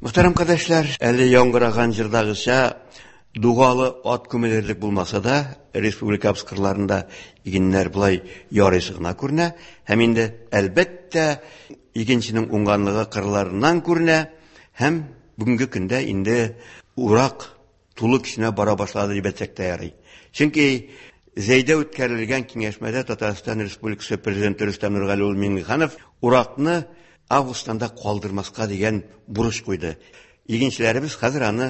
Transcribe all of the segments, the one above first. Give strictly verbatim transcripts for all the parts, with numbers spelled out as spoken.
Мөхтәрәм кардәшләр, әле яңгыраган җырдагыча дугалы ат күмелерлек булмаса да, республикабыз кырларында игеннәр болай ярыйсы гына күренә һәм инде, әлбәттә, игенченең уңганлыгы кырларыннан күренә һәм бүгенге көндә инде урак тулы көченә бара башлады дип әйтсәк тә ярый. Чөнки Зәйдә үткәрелгән киңәшмәдә Татарстан Республикасы Президенты Рөстәм Нургали улы Миңнеханов уракны августтан да калдырмаска дигән бурыч куйды. Игенчеләребез хәзер аны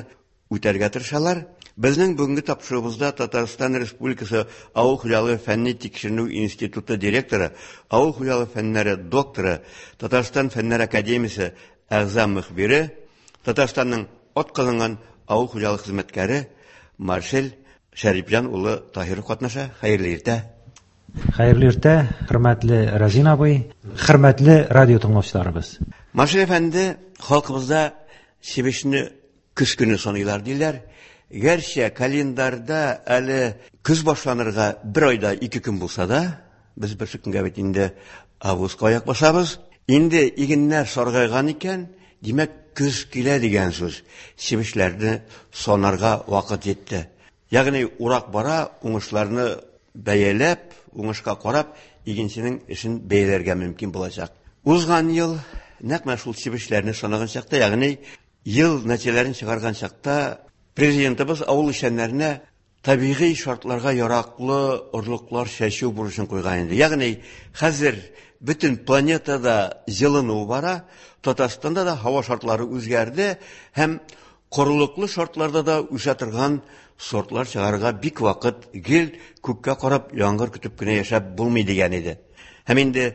үтәргә тырышалар. Безнең бүгенге тапшыруыбызда Татарстан Республикасы Авыл хуҗалыгы фәнни тикшеренү институты директоры, авыл хуҗалыгы фәннәре докторы, Татарстан Фәннәр академиясе әгъза мөхбире, Татарстанның атказанган авыл хуҗалыгы хезмәткәре Марсель Шәрипҗан улы Таһиров катнаша. Хәерле иртә. Хәерле иртә, хөрмәтле Разин абый, хөрмәтле радио тыңлаучыларыбыз. Марсель әфәнде, халкыбызда чебешне көз көне саныйлар диләр. Гәрчә календарьда әле көз башланырга бер айда ике көн булса да, без бер көнгә бит инде августка аяк басабыз. Инде игеннәр саргайган икән, димәк, көз килә дигән сүз. Чебешләрне санарга вакыт җитте. Ягъни урак бара, уңышларны бәяләп, уңышка карап, игенченең эшен бәяләргә мөмкин булачак. Узган ел нәкъ менә шул чебешләрне санаган чакта, ягъни ел нәтиҗәләрен чыгарган чакта, президентыбыз авыл эшчәннәренә табигый шартларга яраклы орлыклар чәчү бурычын куйган иде. Ягъни хәзер бөтен планетада җылыну бара, Татарстанда да һава шартлары үзгәрде һәм корылыклы шартларда да үсә торган сортлар чыгарырга бик вакыт, гел күккә карап яңгыр көтеп кенә яшәп булмый дигән иде. Һәм инде,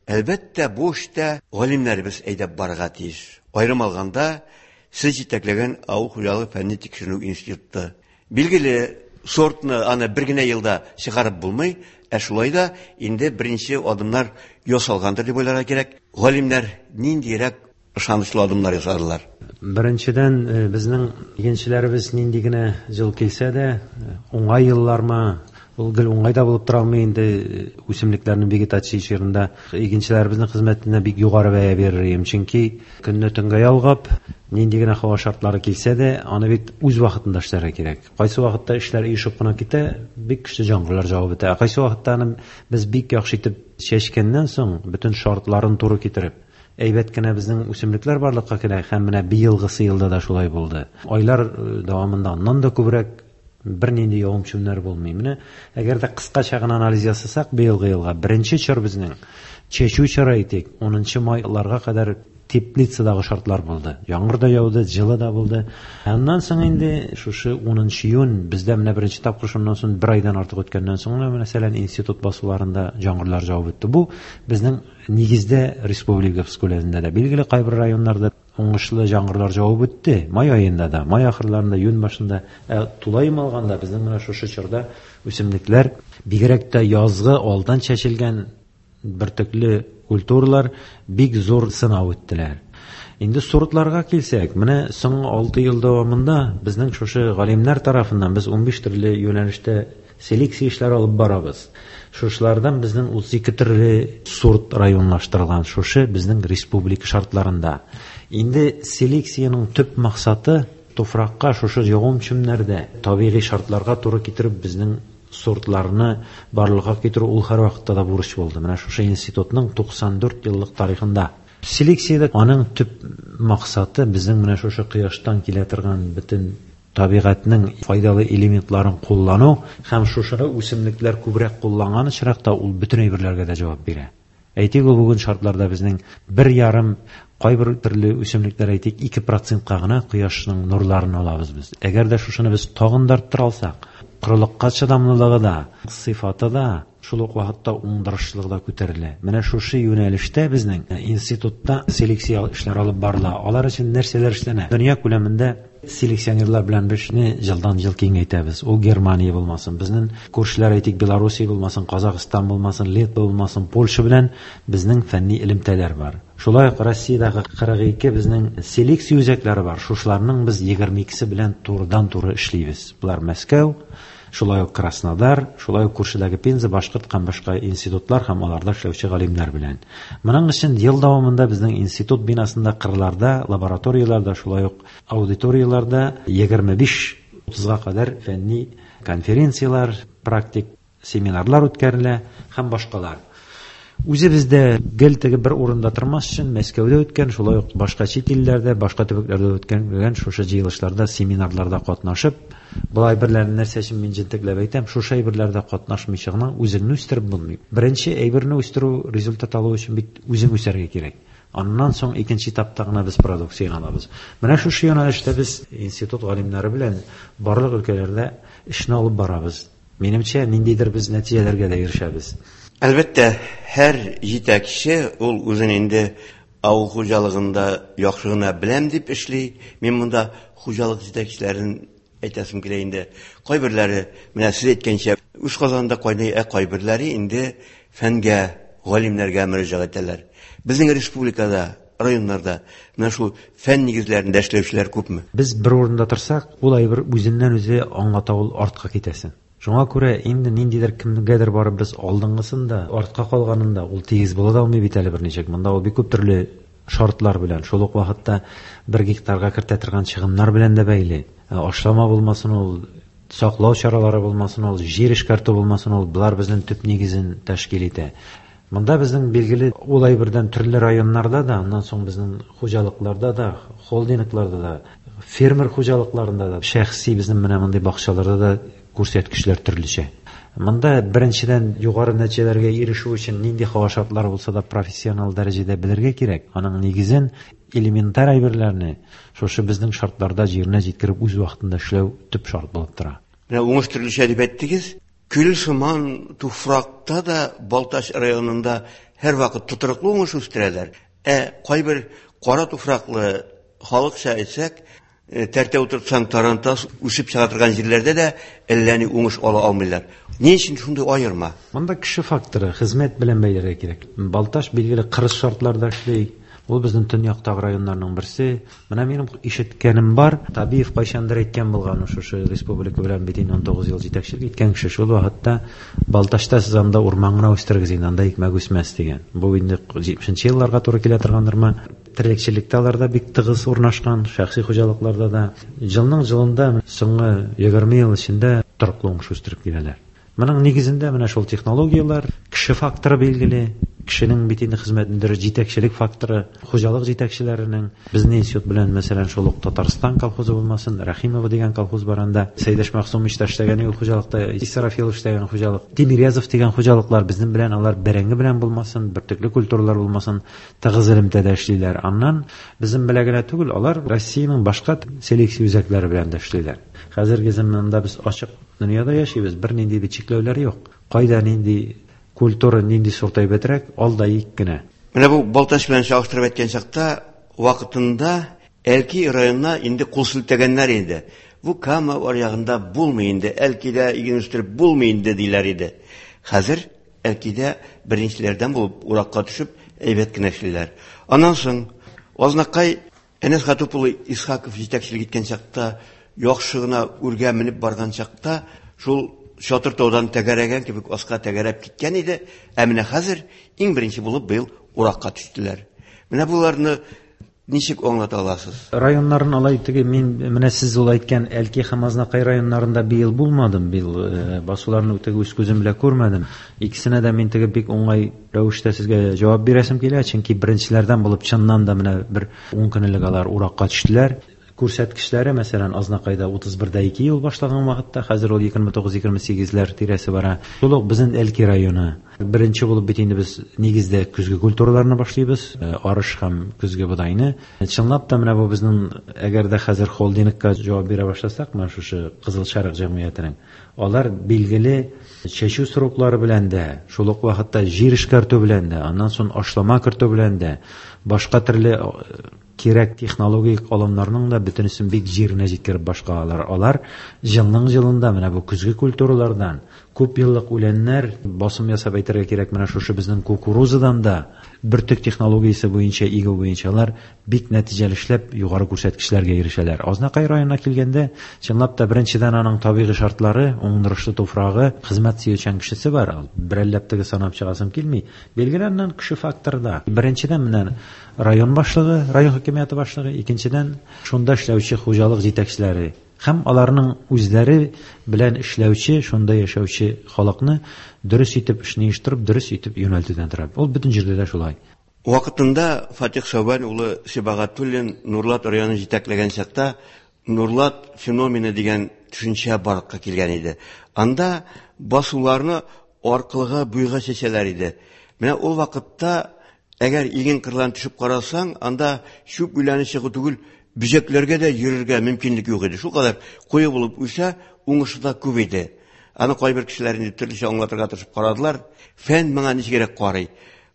әлбәттә, бу эштә галимнәребез әйдәп барырга тиеш. Аерым алганда, сез җитәкләгән Авыл хуҗалыгы фәнни тикшеренү институты. Билгеле, сортны аны бер генә елда чыгарып булмый, ә шулай да инде беренче адымнар ясалгандыр дип уйларга кирәк. Галимнәр ниндирәк ышанычлы адымнар ясадылар? Беренчедән, э, безнең игенчеләребез нинди генә җыл килсә дә, э, уңай еллармы, ул гел уңай да булып тора алмый инде, э, үсемлекләрнең вегетация чорында игенчеләребезнең хезмәтенә бик югары бәя бирер идем. Чөнки көнне төнгә ялгап, нинди генә һава шартлары килсә дә, аны бит үз вакытында эшләргә кирәк. Кайсы вакытта эшләр оешып кына китә, бик көчле яңгырлар җавып бетә. Ә кайсы вакытта аны без бик яхшы итеп чәчкәннән соң, бөтен шартларын туры китереп, әйбәт кенә безнең үсемлекләр барлыкка килә һәм менә быелгысы елда да шулай булды. Айлар, э, дәвамында аннан да күбрәк бернинди явым-төшемнәр булмый. Менә әгәр дә кыскача гына анализ ясасак, быелгы елга беренче чор безнең чәчү чоры әйтик, унынчы майларга кадәр теплицадагы шартлар булды. Яңгыр да яуды, җылы да булды. Аннан соң инде шушы унынчы июнь бездә менә беренче тапкыр шуннан соң бер айдан артык үткәннән соң менә мәсәлән институт басуларында яңгырлар җавып үтте. Бу безнең нигездә республикабыз күләмендә дә билгеле кайбер районнарда уңышлы яңгырлар җавып үтте. Май аенда да, май ахырларында, июнь башында, ә, тулаем алганда безнең менә шушы чорда үсемлекләр бигрәк тә язгы алдан чәчелгән бөртекле культуралар бик зур сынау үттеләр. Инде сортларга килсәк, менә соңгы алты ел дәвамында безнең шушы галимнәр тарафыннан без унбиш төрле юнәлештә селекция эшләре алып барабыз. Шушылардан безнең утыз ике төрле сорт районлаштырылган шушы безнең республика шартларында. Инде селекциянең төп максаты туфракка шушы явым-төшемнәрдә табигый шартларга туры китереп безнең сортларны барлыкка китерү ул һәр вакытта да бурыч булды. Менә шушы институтның туксан дүрт еллык тарихында. Селекциядә аның төп максаты безнең менә шушы кояштан килә торган бөтен табигатьнең файдалы элементларын куллану һәм шушы үсемлекләр күбрәк кулланган очракта ул бөтен әйберләргә дә җавап бирә. Әйтик, ул бүген шартларда безнең бер ярым кайбер төрле үсемлекләр әйтик ике процентка гына кояшның нурларын алабыз без. Әгәр дә шушыны без тагын да арттыра алсак, корылыкка чыдамлылыгы да, сыйфаты да, шул ук вакытта уңдырышлылыгы да күтәрелә. Менә шушы юнәлештә безнең институтта селекция эшләре алып барыла. Алар өчен нәрсәләр эшләнә? Дөнья күләмендә селекционерлар белән без эшне елдан-ел киңәйтәбез. Ул Германия булмасын, безнең күршеләр әйтик Белоруссия булмасын, Казахстан булмасын, Литва булмасын, Польша белән безнең фәнни элемтәләр бар. Шулай ук Россиядәге кырык ике безнең селекция үзәкләре бар. Шушыларның без егерме икесе белән турыдан-туры эшлибез. Булар Мәскәү, Шулай ук Краснодар, шулай ук күршедәге Пенза, Башкорт һәм башка институтлар һәм аларда эшләүче галимнәр белән. Моның өчен ел дәвамында безнең институт бинасында, кырларда, лабораторияләрдә, шулай ук аудиторияләрдә егерме биш утызга кадәр фәнни конференцияләр, практик семинарлар үткәрелә һәм башкалар. Үзебез дә гел теге бер урында тормас өчен Мәскәүдә үткән, шулай ук башка чит илләрдә, башка төбәкләрдә үткән шушы җыелышларда, семинарларда катнашып, болай берләрне нәрсә өчен мин җентекләп әйтәм, шушы әйберләрдә катнашмыйча гына үзеңне үстереп булмый. Беренче әйберне үстерү, результат алу өчен бит үзең үсәргә кирәк. Аннан соң икенче этапта гына без продукция алабыз. Менә шушы юнәлештә без институт галимнәре белән барлык өлкәләрдә эшне алып барабыз. Минемчә, ниндидер без нәтиҗәләргә дә ирешәбез. Әлбәттә, һәр җитәкче ул үзен инде авыл хуҗалыгында яхшы гына беләм дип эшли. Мин монда хуҗалык җитәкчеләрен әйтәсем килә инде. Кайберләре, менә сез әйткәнчә, үз казанында кайный, ә кайберләре инде фәнгә, галимнәргә мөрәҗәгать итәләр. Безнең республикада, районнарда менә шул фән нигезләрендә эшләүчеләр күпме? Без бер урында торсак, ул әйбер үзеннән үзе аңлата, ул артка китәсен. Шуңа күрә инде ниндидер кемгәдер барып без алдынгысын да, артка калганын да ул тигез була да алмый бит әле берничек. Монда ул бик күп төрле шартлар белән, шул ук вакытта бер гектарга кертә торган чыгымнар белән дә бәйле. Ашлама булмасын ул, саклау чаралары булмасын ул, җир эшкәртү булмасын ул, болар безнең төп нигезен тәшкил итә. Монда безнең билгеле ул әйбердән төрле районнарда да, аннан соң безнең хуҗалыкларда да, холдингларда да, фермер хуҗалыкларында да, шәхси безнең менә мондый бакчаларда да күрсәткечләр төрлечә. Монда беренчедән югары нәтиҗәләргә ирешү өчен нинди һава шартлары булса да профессионал дәрәҗәдә белергә кирәк. Аның нигезен, элементар әйберләрне шушы безнең шартларда җиренә җиткереп үз вакытында эшләү төп шарт булып тора. Менә уңыш төрлечә дип әйттегез. Көл сыман туфракта да Балтач районында һәрвакыт тотрыклы уңыш үстерәләр. Ә кайбер кара туфраклы халыкча әйтсәк, тәртә утыртсаң тарантас үсеп чыга торган җирләрдә дә әллә ни уңыш ала алмыйлар. Ни өчен шундый аерма? Монда кеше факторы, хезмәт белән бәйләргә кирәк. Балтач билгеле кырыс шартларда эшли. Ул безнең төньяктагы районнарның берсе. Менә минем ишеткәнем бар, Табиев кайчандыр әйткән булган, шушы республика белән бит инде унтугыз ел җитәкчелек иткән кеше, шул вакытта Балтачта сез анда урман гына үстерегез инде, анда икмәк үсмәс дигән. Бу инде җитмешенче елларга туры килә торгандырмы? Терлекчелектә аларда бик тыгыз урнашкан, шәхси хуҗалыкларда да. Елның елында соңгы егерме ел эчендә тотрыклы уңыш үстереп киләләр. Моның нигезендә менә шул технологияләр, кеше факторы билгеле, кешенең бит инде хезмәтендә җитәкчелек факторы, хуҗалык җитәкчеләренең, безнең институт белән, мәсәлән, шул ук Татарстан колхозы булмасын, Рәхимова дигән колхоз бар анда, Сәйдәш Мәгъсумович та эшләгән ул хуҗалыкта, Исрафилов эшләгән хуҗалык, Тимирязов дигән хуҗалыклар безнең белән алар бәрәңге белән булмасын, бөртекле культуралар булмасын, тыгыз элемтәдә эшлиләр. Аннан безнең белән генә түгел, алар Россиянең башка селекция үзәкләре белән дә эшлиләр. Хәзерге заманда без ачык дөньяда яшибез, бернинди бит чикләүләр юк. Кайда нинди культура, нинди сорт әйбәтрәк, ал да ик кенә. Менә бу Балтач белән чагыштырып әйткән чакта, вакытында Әлки районына инде кул селтәгәннәр инде. Бу Кама аръягында булмый инде, Әлкидә иген үстереп булмый инде диләр иде. Хәзер Әлкидә беренчеләрдән булып уракка төшеп әйбәт кенә эшлиләр. Аннан соң Азнакай Әнәс Хатуп улы Исхаков җитәкчелек иткән чакта, яхшы гына үргә менеп барган чакта, шул Чатыр таудан тәгәрәгән кебек аска тәгәрәп киткән иде. Ә менә хәзер иң беренче булып быел уракка төштеләр. Менә буларны ничек аңлата аласыз? Районнарын алай теге мин менә сез ул әйткән Әлки һәм Азнакай районнарында быел булмадым, быел, э, басуларны теге үз күзем белән күрмәдем. Икесенә дә мин теге бик уңай рәвештә сезгә җавап бирәсем килә, чөнки беренчеләрдән булып чыннан да менә бер ун көн элек алар уракка төштеләр. Күрсәткечләре, мәсәлән, Азнакайда утыз бер дә ике ел башлаган вакытта, хәзер ул егерме тугыз, егерме сигезләр тирәсе бара. Шул ук безнең Әлки районы. Беренче булып бит инде без нигездә көзге культураларны башлыйбыз, э, арыш һәм көзге бодайны. Чынлап та менә бу безнең, әгәр дә хәзер холдингка җавап бирә башласак, менә шушы Кызыл Шәрык җәмгыятенең, алар билгеле чәчү сроклары белән дә, шул ук вакытта җир эшкәртү белән дә, аннан соң ашлама кертү белән дә, башка төрле кирәк технологик алымнарның да бөтенесен бик җиренә җиткереп башкаралар. Алар елның елында менә бу көзге культуралардан Күп еллык үләннәр, басым ясап әйтергә кирәк, менә шушы безнең кукурузадан да бөртек технологиясе буенча игү буенча алар бик нәтиҗәле эшләп югары күрсәткечләргә ирешәләр. Азнакай районына килгәндә, чынлап та беренчедән аның табигый шартлары, уңдырышлы туфрагы, хезмәт сөючән кешесе бар. Берәлләп теге санап чыгасым килми. Билгеле, аннан кеше факторы да. Беренчедән менә район башлыгы, район хакимияте башлыгы, икенчедән шунда эшләүче хуҗалык җитәкчеләре һәм аларның үзләре белән эшләүче, шунда яшәүче халыкны дөрес итеп эшне оештырып, дөрес итеп юнәлтүдән тора. Ул бөтен җирдә дә шулай. Вакытында Фатих Сәүбән улы Сибагатуллин Нурлат районын җитәкләгән чакта Нурлат феномены дигән төшенчә барлыкка килгән иде. Анда басуларны аркылыга буйга чәчәләр иде. Менә ул вакытта әгәр иген кырларын төшеп карасаң, анда чүп үләне чыгу түгел, бөҗәкләргә дә йөрергә мөмкинлек юк иде. Шул кадәр куе булып үсә, уңышы да күп иде. Аны кайбер кешеләр инде төрлечә аңлатырга тырышып карадылар. Фән моңа ничегрәк карый?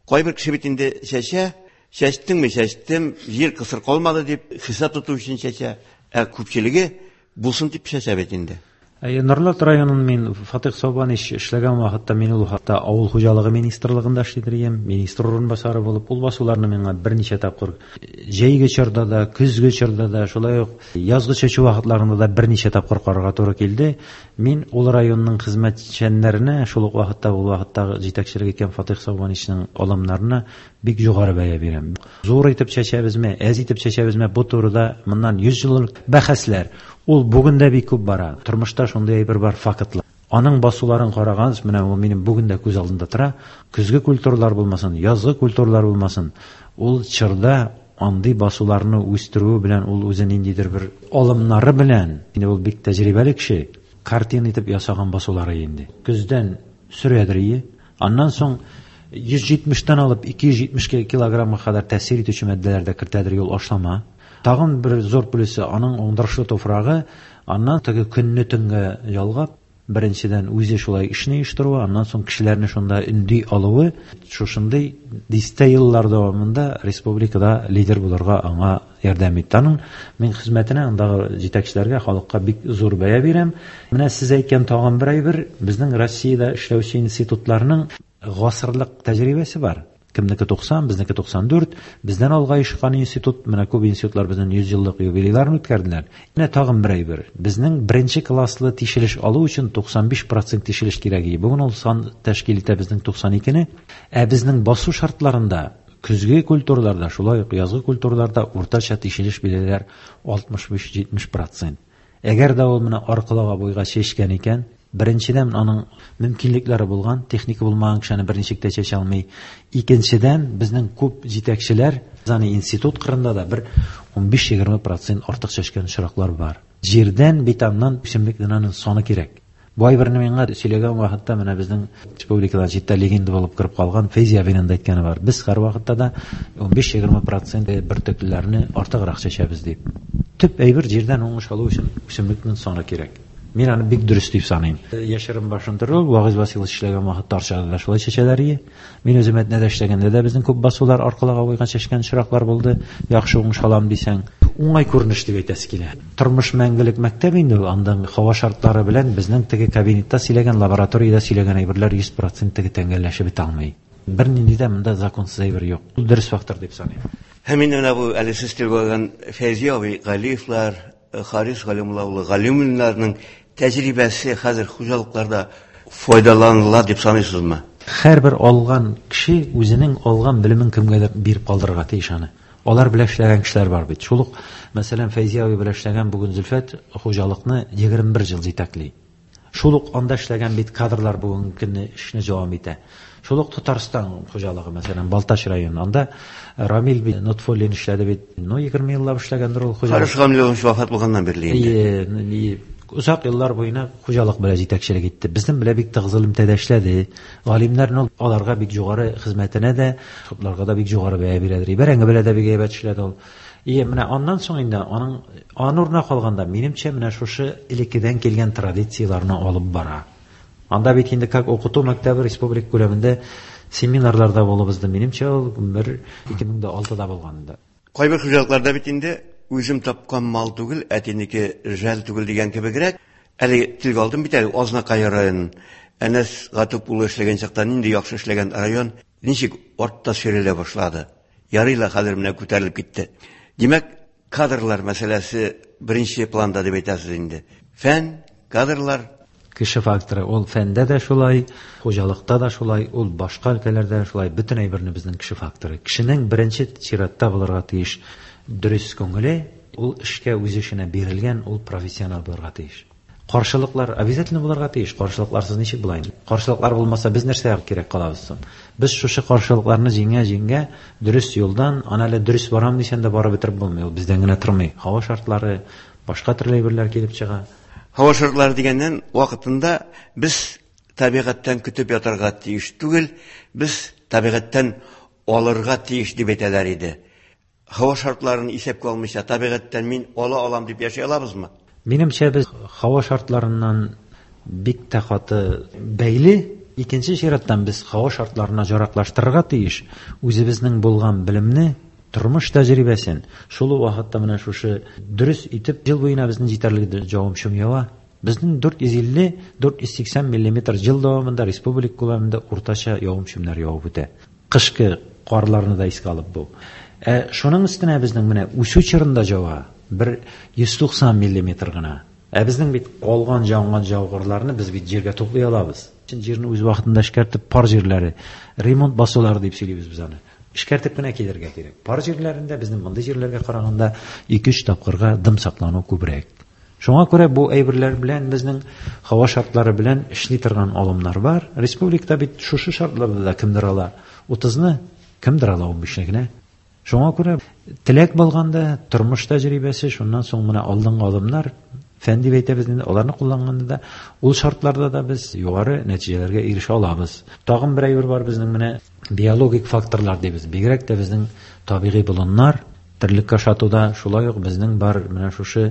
Кайбер кеше бит инде чәчә, чәчтеңме, чәчтем, җир кысыр калмады дип хисап тоту өчен чәчә. Ә күпчелеге булсын дип чәчә бит инде. Әйе, Нурлат районын мин Фатих Сәүбанович эшләгән вакытта мин ул хакта авыл хуҗалыгы министрлыгында эшлидер идем, министр урынбасары булып, ул басуларны миңа берничә тапкыр җәйге чорда да, көзге чорда да, шулай ук язгы чәчү вакытларында да берничә тапкыр карарга туры килде. Мин ул районның хезмәтчәннәренә, шул ук вакытта ул вакыттагы җитәкчелек иткән Фатих Сәүбановичның алымнарына бик югары бәя бирәм. Зур итеп чәчәбезме, әз итеп чәчәбезме, бу турыда моннан йөз еллык бәхәсләр. Ул бүген дә бик күп бара. Тормышта шундый әйбер бар, фактлар. Аның басуларын караган, менә ул минем бүген дә күз алдында тора. Көзге культуралар булмасын, язгы культуралар булмасын, ул чорда андый басуларны үстерүе белән ул үзе ниндидер бер алымнары белән, инде ул бик тәҗрибәле кеше, картина итеп ясаган басулары инде. Көздән сөрәдер ие. Аннан соң йөз җитмештән алып ике йөз җитмеш килограммга кадәр тәэсир итүче матдәләр дә кертәдер ул ашлама. Тагын бер зур плюсы аның уңдырышлы туфрагы, аннан теге көнне төнгә ялгап, беренчедән үзе шулай эшне оештыруы, аннан соң кешеләрне шунда өнди алуы, шушындый дистә еллар дәвамында республикада лидер булырга аңа ярдәм итте. Аның мин хезмәтенә, андагы җитәкчеләргә, халыкка бик зур бәя бирәм. Менә сез әйткән тагын бер әйбер, безнең Россиядә эшләүче институтларның гасырлык тәҗрибәсе бар. Кемнеке туксан, безнеке туксан дүрт, бездән алга ишкан институт, менә күп институтлар безнең йөз еллык юбилейларын үткәрделәр. Менә тагын бер әйбер. Безнең беренче класслы тишелеш алу өчен туксан биш процент тишелеш кирәк иде. Бүген ул сан тәшкил итә безнең туксан икене. Ә безнең басу шартларында көзге культураларда, шулай ук язгы культураларда уртача тишелеш билгеләр алтмыш биш җитмеш процент. Әгәр дә ул менә аркылыга буйга чәчкән икән, беренчедән аның мөмкинлекләре булган, техника булмаган кешене берничек тә чәчә алмый. Икенчедән, безнең күп җитәкчеләр, аны институт кырында да бер унбиш-егерме процент артык чәчкән очраклар бар. Җирдән бит аннан үсемлекнең саны кирәк. Бу әйберне миңа сөйләгән вакытта менә безнең республикадан читтә легенда булып кереп калган Фәйзи абыйның да әйткәне бар. Без һәр вакытта да унбиш-егерме процент бөртеклеләрне артыграк чәчәбез дип. Төп әйбер җирдән уңыш алу өчен үсемлекнең саны кирәк. Мин аны бик дөрес дип саныйм. Яшерен башын тору, Вагиз Василович эшләгән вакытта Арчада да шулай чәчәләр ие. Мин үзем Әтнәдә эшләгәндә дә безнең күп басулар аркылыга буйга чәчкән очраклар булды. Яхшы уңыш алам дисәң, уңай күренеш дип әйтәсе килә. Тормыш мәңгелек мәктәп инде ул. Андан һава шартлары белән безнең теге кабинетта сөйләгән, лабораториядә сөйләгән әйберләр йөз процент теге тәңгәлләшеп бетә алмый. Бернинди дә монда законсыз әйбер юк. Ул дөрес фактор дип саныйм. Һәм инде менә бу әле сез телгә алган Фәйзи абый Галиевлар, Харис Галимулла улы Галимуллиннарның тәҗрибәсе хәзер хуҗалыкларда файдаланыла дип саныйсызмы? Һәрбер алган кеше үзенең алган белемен кемгәдер биреп калдырырга тиеш аны. Алар белән эшләгән кешеләр бар бит. Шул ук, мәсәлән, Фәйзи абый белән эшләгән бүген Зөлфәт хуҗалыкны егерме бер ел җитәкли. Шул ук анда эшләгән бит кадрлар бүгенге көнне эшне дәвам итә. Шул ук Татарстан хуҗалыгы, мәсәлән, Балтач районы, анда Рамил бит Нотфуллин эшләде бит. Ну, егерме еллап эшләгәндер ул хуҗалык. Харис Гамилович вафат булганнан бирле инде. Ие, озак еллар буена хуҗалык белән җитәкчелек итте. Безнең белән бик тыгыз элемтәдә эшләде. Галимнәрнең аларга бик югары хезмәтенә дә, шутларга да бик югары бәя бирәдер. Бәрәңге белән дә бик әйбәт эшләде ул. Ие, менә аннан соң инде аның аның урынына калганда, минемчә, менә шушы элеккедән килгән традицияләрне алып бара. Анда бит инде как укыту мәктәбе республика күләмендә семинарларда булып узды. Минемчә, ул бер ике мең дә алтыда булган инде. Кайбер хуҗалыкларда бит инде үзем тапкан мал түгел, әтинеке жәл түгел дигән кебегрәк. Әле телгә алдым бит әле Азнакай районын. Әнәс Гатуп улы эшләгән чакта нинди яхшы эшләгән район ничек артта сөйрәлә башлады. Ярый ла хәзер менә күтәрелеп китте. Димәк, кадрлар мәсьәләсе беренче планда дип әйтәсез инде. Фән, кадрлар, Кеше факторы, ул фәндә дә шулай, хуҗалыкта да шулай, ул башка өлкәләрдә дә шулай, бөтен әйберне безнең кеше факторы. Кешенең беренче чиратта булырга тиеш дөрес күңеле, ул эшкә үз эшенә бирелгән, ул профессионал булырга тиеш. Каршылыклар обязательно булырга тиеш. Каршылыкларсыз ничек була инде? Каршылыклар булмаса без нәрсәгә кирәк калабыз соң? Без шушы каршылыкларны җиңә-җиңә дөрес юлдан, аны әле дөрес барам дисәң дә барып бетереп булмый, ул бездән генә тормый. Һава шартлары, башка төрле әйберләр килеп чыга. Һава шартлары дигәннән, вакытында без табигатьтән көтеп ятарга тиеш түгел, без табигатьтән алырга тиеш дип әйтәләр иде. Һава шартларын исәпкә алмыйча табигатьтән мин ала алам дип яши алабызмы? Минемчә, без һава шартларыннан бик тә каты бәйле. Икенче чираттан без һава шартларына яраклаштырырга тиеш. Үзебезнең булган белемне, тормыш тәҗрибәсен, шул ук вакытта менә шушы дөрес итеп ел буена безнең җитәрлек җавым-шым ява. Безнең дүрт йөз илле, дүрт йөз сиксән миллиметр ел дәвамында республика күләмендә уртача явым-шымнар явып үтә. Кышкы карларны да искә алып бу. Ә шуның өстенә безнең менә үсү чорында ява бер йөз туксан миллиметр гына. Ә безнең бит калган янган жаугырларны без бит җиргә туплый алабыз. Чын җирне үз вакытында эшкәртеп, пар җирләре, ремонт басулары дип сөйлибез без аны. Эшкәртеп кенә килергә кирәк. Пар җирләрендә безнең мондый җирләргә караганда ике-өч тапкырга дым саклану күбрәк. Шуңа күрә бу әйберләр белән безнең һава шартлары белән эшли торган алымнар бар. Республикада бит шушы шартларда да кемдер ала утызны, кемдер ала унбишне генә. Шуңа күрә теләк булганда, тормыш тәҗрибәсе, шуннан соң менә алдынгы алымнар, фән дип әйтәбез инде, аларны кулланганда да, ул шартларда да без югары нәтиҗәләргә ирешә алабыз. Тагын бер әйбер бар безнең менә биологик факторлар дибез. Бигрәк тә безнең табигый болыннар, терлеккә ашатуда шулай ук безнең бар менә шушы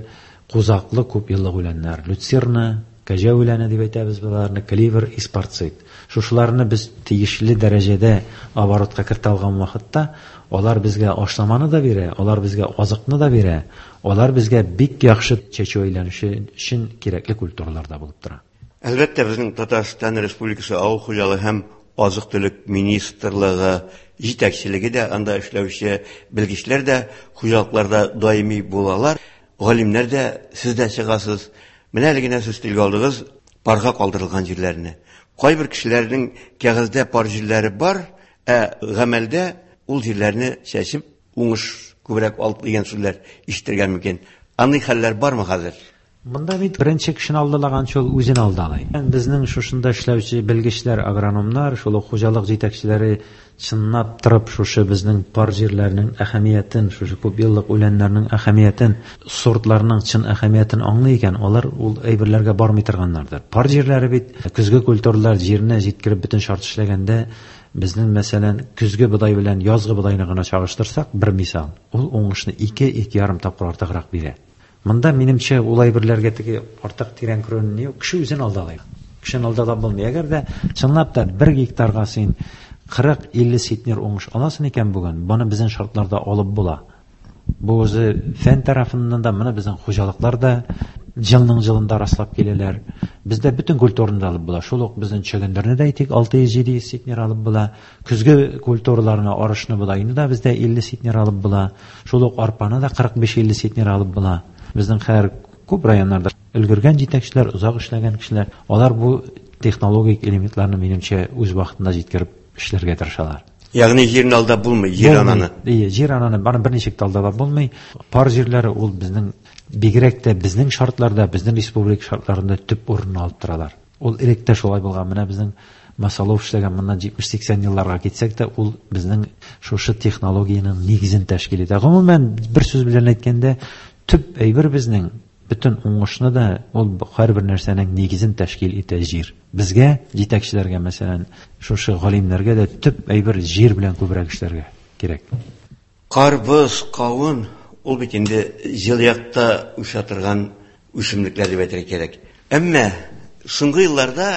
кузаклы күп еллык үләннәр, люцерна, кәҗә үләне дип әйтәбез боларны, кливер, испарцит. Шушыларны без тиешле дәрәҗәдә оборотка кертә алган вакытта, алар безгә ашламаны да бирә, алар безгә азыкны да бирә, алар безгә бик яхшы чәчү әйләнеше өчен кирәкле культуралар да булып тора. Әлбәттә, безнең Татарстан Республикасы Авыл хуҗалыгы һәм азык-төлек министрлыгы җитәкчелеге дә, анда эшләүче белгечләр дә хуҗалыкларда даими булалар. Галимнәр дә, сез дә чыгасыз. Менә әле генә сез телгә алдыгыз парга калдырылган җирләрне. Кайбер кешеләрнең кәгазьдә пар җирләре бар, ә гамәлдә ул җирләрне чәчеп уңыш күбрәк алып дигән сүзләр ишетергә мөмкин. Андый хәлләр бармы хәзер? Монда бит беренче кешене алдалаганчы ул үзен алдалый. Безнең шушында эшләүче белгечләр, агрономнар, шул ук хуҗалык җитәкчеләре чынлап торып шушы безнең пар җирләрнең әһәмиятен, шушы күп еллык үләннәрнең әһәмиятен, сортларның чын әһәмиятен аңлый икән, алар ул әйберләргә бармый торганнардыр. Пар җирләре бит көзге культуралар җиренә җиткереп бөтен шарт эшләгәндә, безнең мәсәлән көзге бодай белән язгы бодайны гына чагыштырсак, бер мисал, ул уңышны ике, ике ярым тапкыр артыграк бирә. Монда минемчә ул әйберләргә теге артык тирән керүне юк, кеше үзен алдалый. Кешене алдалап булмый. Әгәр дә чынлап та бер гектарга син кырык, илле центнер уңыш аласың икән бүген, моны безнең шартларда алып була. Бу үзе фән тарафыннан да, моны безнең хуҗалыклар да елның елында раслап киләләр. Бездә бөтен культураны да алып була. Шул ук безнең чөгендерне дә әйтик, алты йөз, җиде йөз центнер алып була. Көзге культураларны, арышны, бодайны да бездә илле центнер алып була. Шул ук арпаны да кырык биш, илле центнер алып була. Безнең хәзер күп районнарда өлгергән җитәкчеләр, озак эшләгән кешеләр, алар бу технологик элементларны минемчә үз вакытында җиткереп эшләргә тырышалар. Ягъни җирне алдап булмый, җир ананы. Ие, җир ананы бары берничек тә алдап булмый. Пар җирләре ул безнең бигрәк тә безнең шартларда, безнең республика шартларында төп урын алып торалар. Ул элек тә шулай булган. Менә безнең Масалов эшләгән моннан җитмеш сиксән елларга китсәк тә, ул безнең шушы технологиянең нигезен тәшкил итә. Гомумән, бер сүз белән әйткәндә, төп әйбер безнең бөтен уңышны да ул һәрбер нәрсәнең нигезен тәшкил итә җир. Безгә, җитәкчеләргә, мәсәлән, шушы галимнәргә дә төп әйбер җир белән күбрәк эшләргә кирәк. Карбыз, кавын ул бит инде җыл якта үсә торган үсемлекләр дип әйтергә кирәк. Әмма соңгы елларда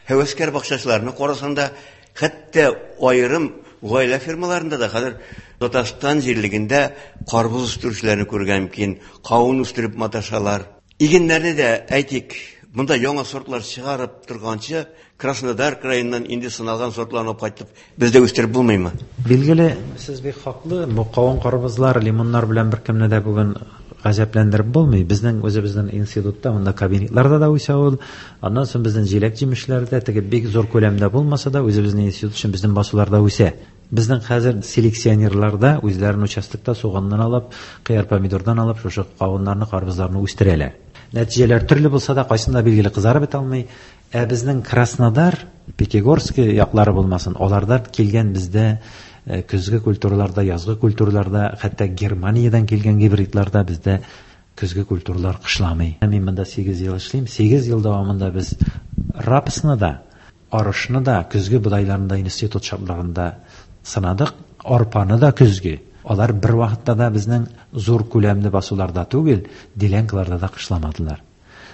һәвәскәр бакчачыларны карасаң да, хәтта аерым гаилә фирмаларында да хәзер Татарстан җирлегендә карбыз үстерүчеләрне күрергә мөмкин, кавын үстереп маташалар. Игеннәрне дә әйтик, Монда яңа сортлар чыгарып торганчы, Краснодар краеннан инде сыналган сортларны алып кайтып, бездә үстереп булмыймы? Билгеле, сез бик хаклы. Бу кавын, карбызлар, лимоннар белән беркемне дә бүген гаҗәпләндереп булмый. Безнең үзебезнең институтта, монда кабинетларда да үсә ул. Аннан соң безнең җиләк-җимешләр дә теге бик зур күләмдә булмаса да, үзебезнең институт өчен безнең басуларда үсә. Безнең хәзер селекционерлар да үзләренең участокта суганнан алып, кыяр, помидордан алып, шушы кавыннарны, карбызларны үстерәләр. Нәтиҗәләр төрле булса да, кайсында билгеле кызарып бетә алмый. Ә безнең Краснодар, Пятигорск яклары булмасын, алардан килгән бездә көзге культураларда, язгы культураларда, хәтта Германиядән килгән гибридларда бездә көзге культуралар кышламый. Мин монда сигез ел эшлим. Сигез ел дәвамында без рапсны да, арышны да, көзге бодайларны да институт шартларында сынадык, арпаны да көзге. Алар бер вакытта да безнең зур күләмле басуларда түгел, делянкаларда да кышламадылар.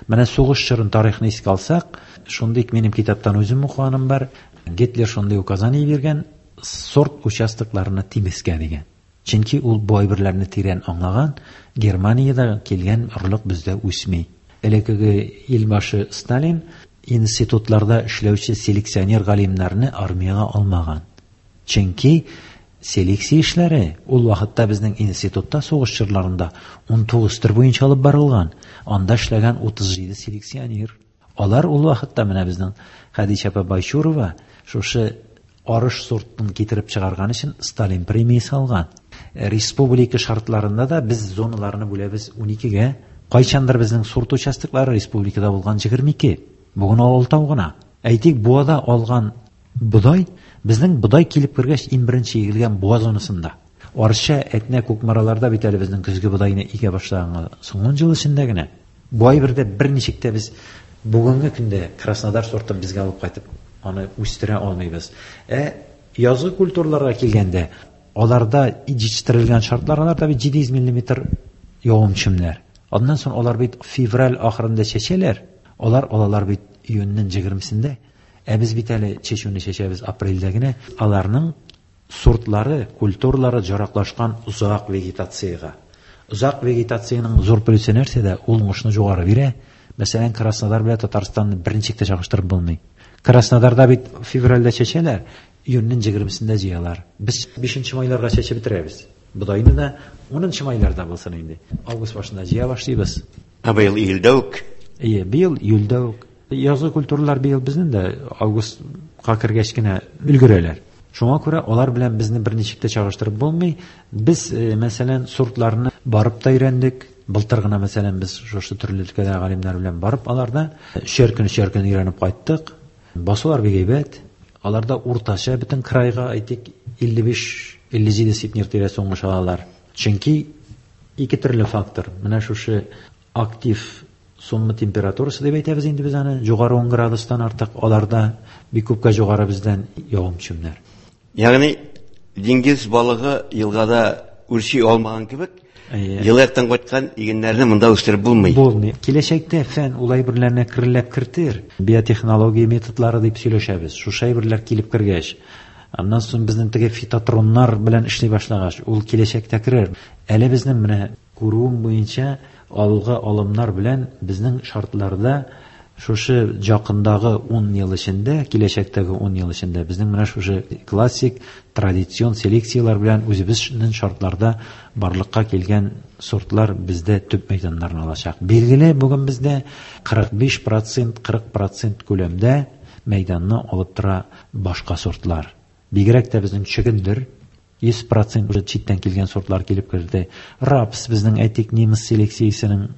Менә сугыш чорын тарихны искә алсак, шундый минем китаптан үзем укыганым бар. Гитлер шундый указание биргән, сорт участокларына тимескә дигән. Чөнки ул бу әйберләрне тирән аңлаган, Германиядә килгән орлык бездә үсми. Элеккеге илбашы Сталин институтларда эшләүче селекционер галимнәрне армиягә алмаган. Чөнки селекция эшләре ул вакытта безнең институтта сугыш чорларында ун тугыз төр буенча алып барылган. Анда эшләгән утыз җиде селекционер. Алар ул вакытта менә безнең Хәдичә апа Байчурова шушы арыш сортын китереп чыгарган өчен Сталин премиясе алган. Республика шартларында да без зоналарны бүләбез ун икегә. Кайчандыр безнең сорт участоклары республикада булган егерме ике. Бүген алтау гына. Әйтик, Буада алган бодай, безнең бодай килеп кергәч иң беренче игелгән Буа зонасында. Арча, Әтнә, Кукмараларда бит әле безнең көзге бодайны игә башлаган соңгы ун ел эчендә генә. Бу әйбердә берничек тә без бүгенге көндә Краснодар сортын безгә алып кайтып аны үстерә алмыйбыз. Ә язгы культураларга килгәндә, аларда җитештерелгән шартлар, аларда бит җиде йөз миллиметр явым-төшемнәр. Аннан соң алар бит февраль ахырында чәчәләр, алар алалар бит июньнең егермесендә. Ә без бит әле чәчүне чәчәбез апрельдә генә. Аларның сортлары, культуралары җараклашкан озак вегетациягә. Озак вегетациянең зур плюсы нәрсәдә? Ул уңышны югары бирә. Мәсәлән, Краснодар белән Татарстанны берничек тә чагыштырып булмый. Краснодарда бит февральдә чәчәләр, июньнең егермесендә җыялар. Без бишенче майларга чәчеп бетерәбез. Бодайны да унынчы майларда булсын инде. Август башында җыя башлыйбыз. Ә быел июльдә үк? Әйе, быел июльдә үк. Язгы культуралар быел безнең дә августка кергәч кенә өлгерәләр. Шуңа күрә алар белән безне берничек тә чагыштырып булмый. Без, э, мәсәлән, сортларны барып та өйрәндек. Былтыр гына, мәсәлән, без шушы төрле өлкәдә галимнәр белән барып, аларда өчәр көн, өчәр көн өйрәнеп кайттык. Басулар бик әйбәт. Аларда уртача бөтен крайга, әйтик, илле биш, илле җиде центнер тирәсе уңыш алалар. Чөнки ике төрле фактор. Менә шушы актив сумма температурасы дип әйтәбез инде без аны, югары ун градустан артык, аларда бик күпкә югары бездән явым-төшемнәр. Ягъни диңгез балыгы елгада үрчи алмаган кебек, Әйе. Елы яктан кайткан игеннәрне монда үстереп булмый. Булмый. Киләчәктә фән ул әйберләрне керләп кертер. Биотехнология методлары дип сөйләшәбез. Шушы әйберләр килеп кергәч, аннан соң безнең теге фитотроннар белән эшли башлагач, ул киләчәктә керер. Әле безнең менә күрүем буенча алгы алымнар белән безнең шартларда шушы якындагы ун ел эчендә, киләчәктәге ун ел эчендә безнең менә шушы классик традицион селекцияләр белән үзебезнең шартларда барлыкка килгән сортлар бездә төп мәйданнарны алачак. Билгеле, бүген бездә кырык биш процент, кырык процент күләмдә мәйданны алып тора башка сортлар. Бигрәк тә безнең чөгендер йөз процент уже читтән килгән сортлар килеп керде. Рапс безнең, әйтик, немец селекциясенең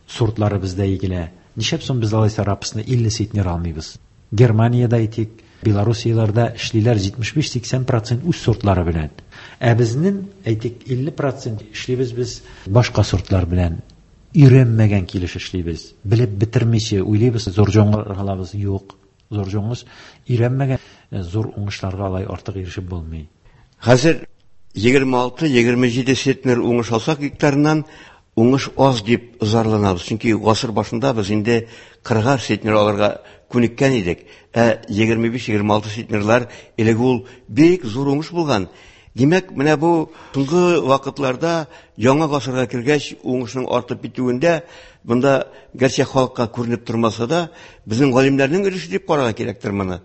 сортлары бездә игелә. Нишләп соң без алайса рапсны илле центнер алмыйбыз? Германиядә, әйтик, Белоруссияләрдә эшлиләр җитмеш биш-сиксән процент үз сортлары белән. Ә безнең, әйтик, илле процент эшлибез без башка сортлар белән. Өйрәнмәгән килеш эшлибез. Белеп бетермичә уйлыйбыз, зур җоңгыр алабыз. Юк, зур җоңгыр өйрәнмәгән зур уңышларга алай артык ирешеп булмый. Хәзер егерме алты, егерме җиде центнер уңыш алсак гектарыннан уңыш аз дип зарланабыз. Чөнки гасыр башында без инде кырыгар центнер алырга күнеккән идек. Ә егерме биш, егерме алты центнерлар элек ул бик зур уңыш булган. Димәк, менә бу соңгы вакытларда яңа гасырга кергәч уңышның артып китүендә монда гәрчә халыкка күренеп тормаса да, безнең галимнәрнең өлеше дип карарга кирәктер моны.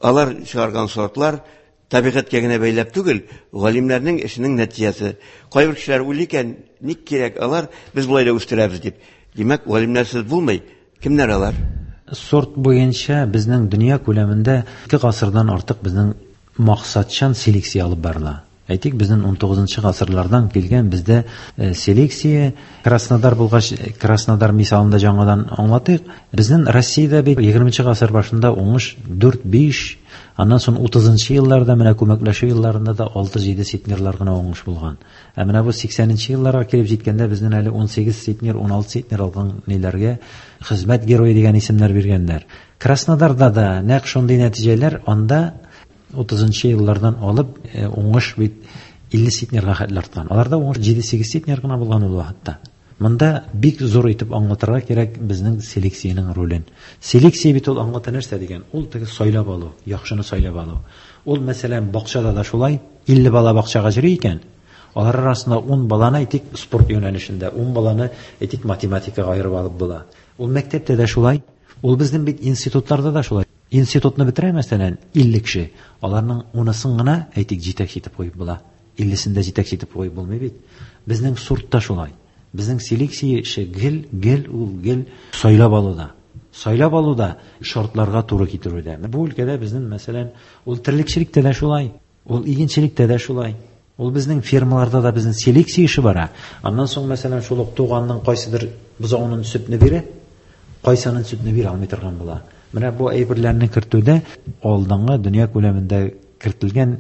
Алар чыгарган сортлар табигатькә генә бәйләп түгел, галимнәрнең эшенең нәтиҗәсе. Кайбер кешеләр уйлый икән, ник кирәк алар, без болай да үстерәбез дип. Димәк, галимнәрсез булмый. Кемнәр алар? Сорт буенча безнең дөнья күләмендә ике гасырдан артык безнең максатчан селекция алып барыла. Әйтик, безнең ун тугызынчы гасырлардан килгән бездә селекция. Краснодар булгач, Краснодар мисалында яңадан аңлатыйк. Безнең Россиядә бит егерменче гасыр башында уңыш дүрт-биш, аннан соң утызынчы елларда менә күмәкләшү елларында да алты-җиде центнерлар гына уңыш булган. Ә менә бу сиксәненче елларга килеп җиткәндә безнең әле ун сигез центнер, ун алты центнер алган ниләргә хезмәт герое дигән исемнәр биргәннәр. Краснодарда да нәкъ шундый нәтиҗәләр, анда утызынчы еллардан алып уңыш бит илле центнерга хәтле арткан. Аларда уңыш җиде-сигез центнер гына булган ул вакытта. Монда бик зур итеп аңлатырга кирәк безнең селекциянең ролен. Селекция бит ул аңлата нәрсә дигән? Ул теге сайлап алу, яхшыны сайлап алу. Ул мәсәлән бакчада да шулай, илле бала бакчага йөри икән, алар арасында ун баланы әйтик спорт юнәлешендә, ун баланы әйтик математикага аерып алып була. Ул мәктәптә дә шулай, ул безнең бит институтларда да шулай. Институтны бетерә мәсәлән илле кеше, аларның унысын гына әйтик җитәкче итеп куеп була. Иллесен дә җитәкче итеп куеп булмый бит. Безнең сортта шулай. Безнең селекция эше гел, гел ул гел сайлап алуда. Сайлап алуда шартларга туры китерүдә. Бу өлкәдә безнең мәсәлән ул терлекчелектә дә шулай, ул игенчелектә дә шулай. Ул безнең фермаларда да безнең селекция эше бара. Аннан соң мәсәлән шул ук туганның кайсыдыр бозауның сөтне бирә, кайсының сөтне бирә алмый торган була. Менә бу әйберләрне кертүдә алдынгы дөнья күләмендә кертелгән,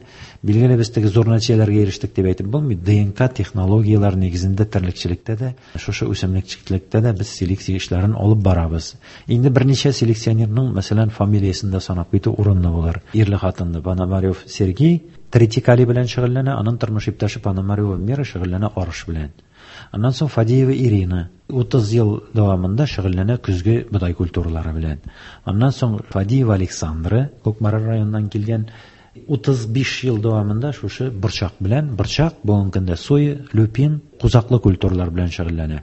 билгеле без теге зур нәтиҗәләргә ирештек дип әйтеп булмый. ДНК технологияләр нигезендә терлекчелектә дә, шушы үсемлекчелектә дә без селекция эшләрен алып барабыз. Инде берничә селекционерның, мәсәлән, фамилиясен дә санап китү урынлы булыр. Ирле хатынлы Пономарев Сергей тритикали белән шөгыльләнә, аның тормыш иптәше Пономарева Мира шөгыльләнә арыш белән. Аннан соң Фадеева Ирина утыз ел дәвамында шөгыльләнә көзге бодай культуралары белән. Аннан соң Фадеева Александра Кукмара районыннан килгән утыз биш ел дәвамында шушы борчак белән, борчак бүгенге көндә соя, люпин, кузаклы культуралар белән шөгыльләнә.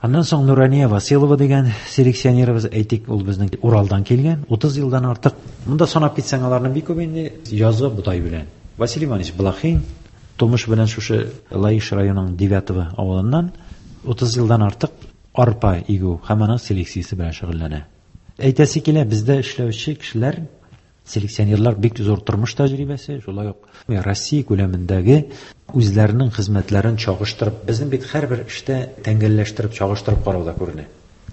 Аннан соң Нурания Василова дигән селекционерыбыз, әйтик, ул безнең Уралдан килгән, утыз елдан артык. Монда санап китсәң аларның бик күп инде язгы бодай белән. Василий Иванович Блохин тумыш белән шушы Лаиш районының Девятово авылыннан утыз елдан артык арпа игү һәм аның селекциясе белән шөгыльләнә. Әйтәсе килә, бездә эшләүче кешеләр, селекционерлар бик зур тормыш тәҗрибәсе, шулай ук Россия күләмендәге үзләренең хезмәтләрен чагыштырып, безнең бит һәрбер эштә тәңгәлләштереп, чагыштырып карауда күренә.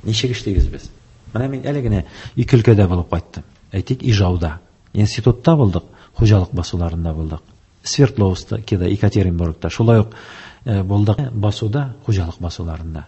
Ничек эшлибез без? Менә мин әле генә ике өлкәдә булып кайттым. Әйтик, Ижауда, институтта булдык, хуҗалык басуларында булдык. Свердловскида, Екатеринбургта, шулай ук булдык басуда, хуҗалык басуларында.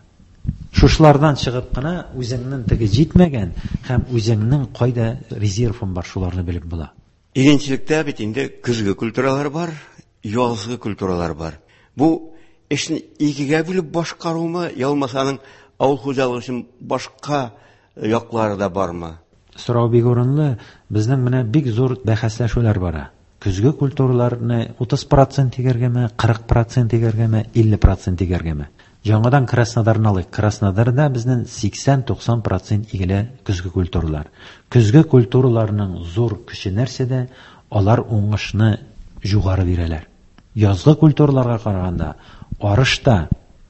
Шушлардан чыгып кына үзеңнең теге җитмәгән һәм үзеңнең кайда резервың бар, шуларны белеп була. Игенчелектә бит инде көзге культуралар бар, язгы культуралар бар. Бу эшне икегә бүлеп башкарумы, я булмаса аның авыл хуҗалыгы өчен башка яклары да бармы? Сорау бик урынлы. Безнең менә бик зур бәхәсләшүләр бара. Көзге культураларны утыз процент игәргәме, кырык процент игәргәме, илле процент игәргәме? Яңадан Краснодарны алыйк. Краснодарда безнең сиксән-туксан процент игелә көзге культуралар. Көзге культураларның зур көче нәрсәдә? Алар уңышны югары бирәләр. Язгы культураларга караганда арыш та,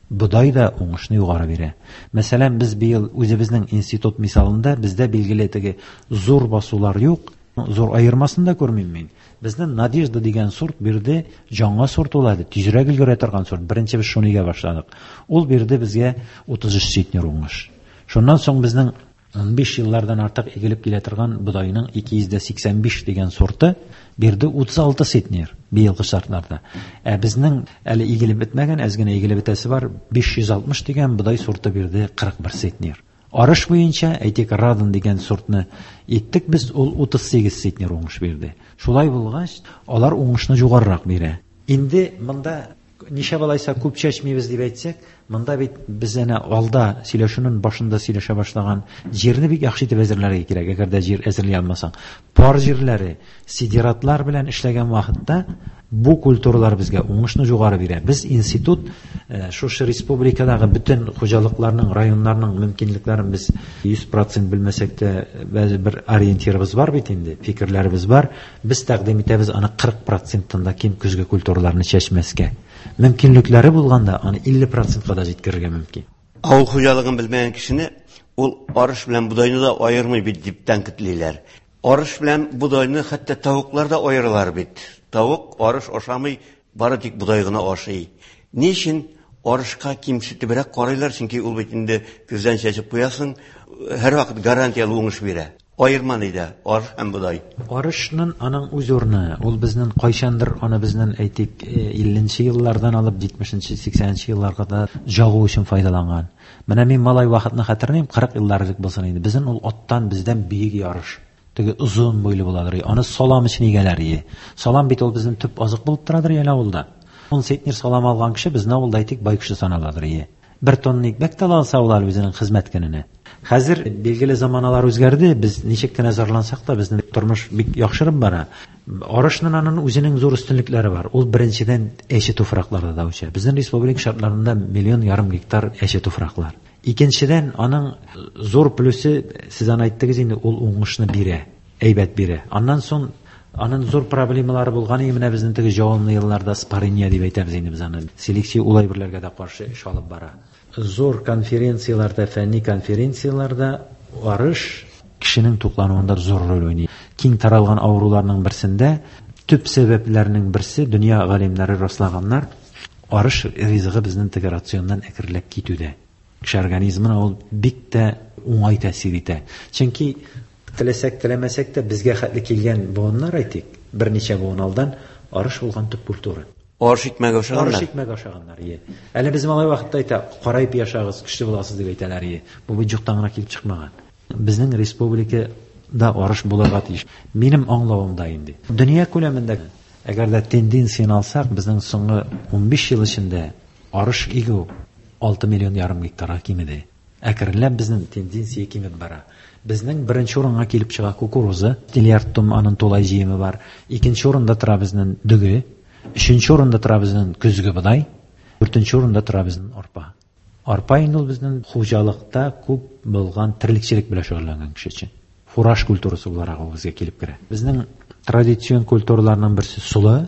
бодай да уңышны югары бирә. Мәсәлән, без быел үзебезнең институт мисалында бездә билгеле теге зур басулар юк, зур аермасын да күрмим мин. Безнең Надежда дигән сорт бирде, яңа сорт ул әле, тизрәк өлгерә торган сорт. Беренче без шуны игә башладык. Ул бирде безгә утыз өч центнер уңыш. Шуннан соң безнең ун биш еллардан артык игелеп килә торган бодайның ике йөз дә сиксән биш дигән сорты бирде утыз алты центнер быелгы шартларда. Ә безнең әле игелеп бетмәгән, әз генә игелеп бетәсе бар, биш йөз алтмыш дигән бодай сорты бирде кырык бер центнер. Арыш буенча, әйтик, Радон дигән сортны иттек без, ул утыз сигез центнер уңыш бирде. Шулай булгач, алар уңышны югарырак бирә. Инде монда Ничә алайса күп чәчмибез дип әйтсәк, монда бит без әнә алда сөйләшүнең башында сөйләшә башлаган җирне бик яхшы итеп әзерләргә кирәк. Әгәр дә җир әзерли алмасаң, пар җирләре, сидератлар белән эшләгән вакытта бу культуралар безгә уңышны югары бирә. Без институт шушы республикадагы бөтен хуҗалыкларның, районнарның мөмкинлекләрен без йөз процент белмәсәк тә, бер ориентирыбыз бар бит инде, фикерләребез бар. Без тәкъдим итәбез аны кырык проценттан да ким көзге культураларны чәчмәскә. Мөмкинлекләре булганда аны илле процентка да җиткерергә мөмкин. Авыл хуҗалыгын белмәгән кешене ул арыш белән бодайны да аермый бит дип тәнкыйтьлиләр. Арыш белән бодайны хәтта тавыклар да аералар бит. Тавык арыш ашамый, бары тик бодай гына ашый. Ни өчен арышка кимсетебрәк карыйлар? Чөнки ул бит инде көздән чәчеп куясың, һәрвакыт гарантияле уңыш бирә. Аерма нидә арыш һәм бодай? Арышның аның үз урыны. Ул безнең кайчандыр аны безнең әйтик илленче еллардан алып җитмешенче, сиксәненче елларга да җагу өчен файдаланган. Менә мин малай вакытны хәтерлим, кырык еллар элек булсын инде. Безнең ул аттан бездән биек ярыш. Теге озын буйлы буладыр. Аны салам өчен игәләр ие. Салам бит ул безнең төп азык булып торадыр әле авылда. Ун центнер салам алган кеше безнең авылда әйтик бай кеше саналадыр ие. Бер тонна икмәк тә алса улар үзенең хезмәт көненә. Хәзер билгеле заманалар үзгәрде, без ничек кенә зарлансак та безнең тормыш бик яхшырып бара. Арышның аның үзенең зур өстенлекләре бар. Ул беренчедән әче туфракларда да үсә. Безнең республика шартларында миллион ярым гектар әче туфраклар. Икенчедән аның зур плюсы, сез аны әйттегез инде, ул уңышны бирә, әйбәт бирә. Аннан соң аның зур проблемалары булган, менә безнең теге җавымлы елларда спарения дип әйтәбез инде без аны. Селекция ул әйберләргә дә каршы эш алып бара. Зур конференцияләрдә, фәнни конференцияләрдә арыш кешенең туклануында зур роль уйный. Киң таралган авыруларның берсендә төп сәбәпләрнең берсе дөнья галимнәре раслаганнар, арыш ризыгы безнең теге рационнан әкренләп китүдә. Кеше организмына ул бик тә уңай тәэсир итә. Чөнки теләсәк, теләмәсәк тә безгә хәтле килгән буыннар әйтик, берничә буын алдан арыш булган төп культура. Арыш икмәге ашаганнар. Арыш икмәге ашаганнар, ие. Әле без малай вакытта әйтә, карайып яшагыз, көчле буласыз дип әйтәләр, ие. Бу бит юктан гына килеп чыкмаган. Безнең республикада арыш булырга тиеш. Минем аңлавымда инде. Дөнья күләмендә, әгәр дә тенденцияне алсак, безнең соңгы унбиш ел эчендә арыш игү алты миллион ярым гектарга кимеде. Әкренләп безнең тенденция кимеп бара. Безнең беренче урынга килеп чыга кукуруза, миллиард тонна аның тулай җыемы бар. Икенче урында тора безнең дөге, өченче урында тора безнең көзге бодай, дүртенче урында тора безнең арпа. Арпа инде ул безнең хуҗалыкта күп булган терлекчелек белән шөгыльләнгән кеше өчен. Фураж культурасы буларак ул безгә килеп керә. Безнең традицион культураларның берсе солы.